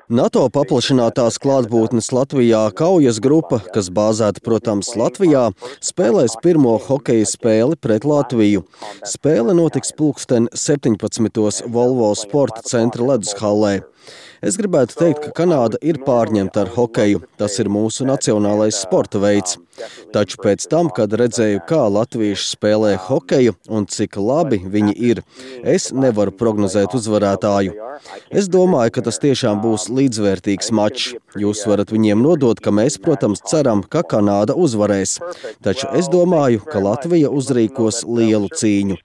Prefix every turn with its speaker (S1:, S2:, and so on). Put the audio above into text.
S1: NATO paplašinātās klātbūtnes Latvijā kaujas grupa, kas bāzēta, protams, Latvijā, spēlēs pirmo hokeja spēli pret Latviju. Spēle notiks pulksten 17. Volvo sporta centra ledushallē. Es gribētu teikt, ka Kanāda ir pārņemta ar hokeju. Tas ir mūsu nacionālais sporta veids. Taču pēc tam, kad redzēju, kā latvieši spēlē hokeju un cik labi viņi ir, es nevaru prognozēt uzvarētāju. Es domāju, ka tas tiešām būs līdzvērtīgs mačs. Jūs varat viņiem nodot, ka mēs, protams, ceram, ka Kanāda uzvarēs. Taču es domāju, ka Latvija uzrīkos lielu cīņu.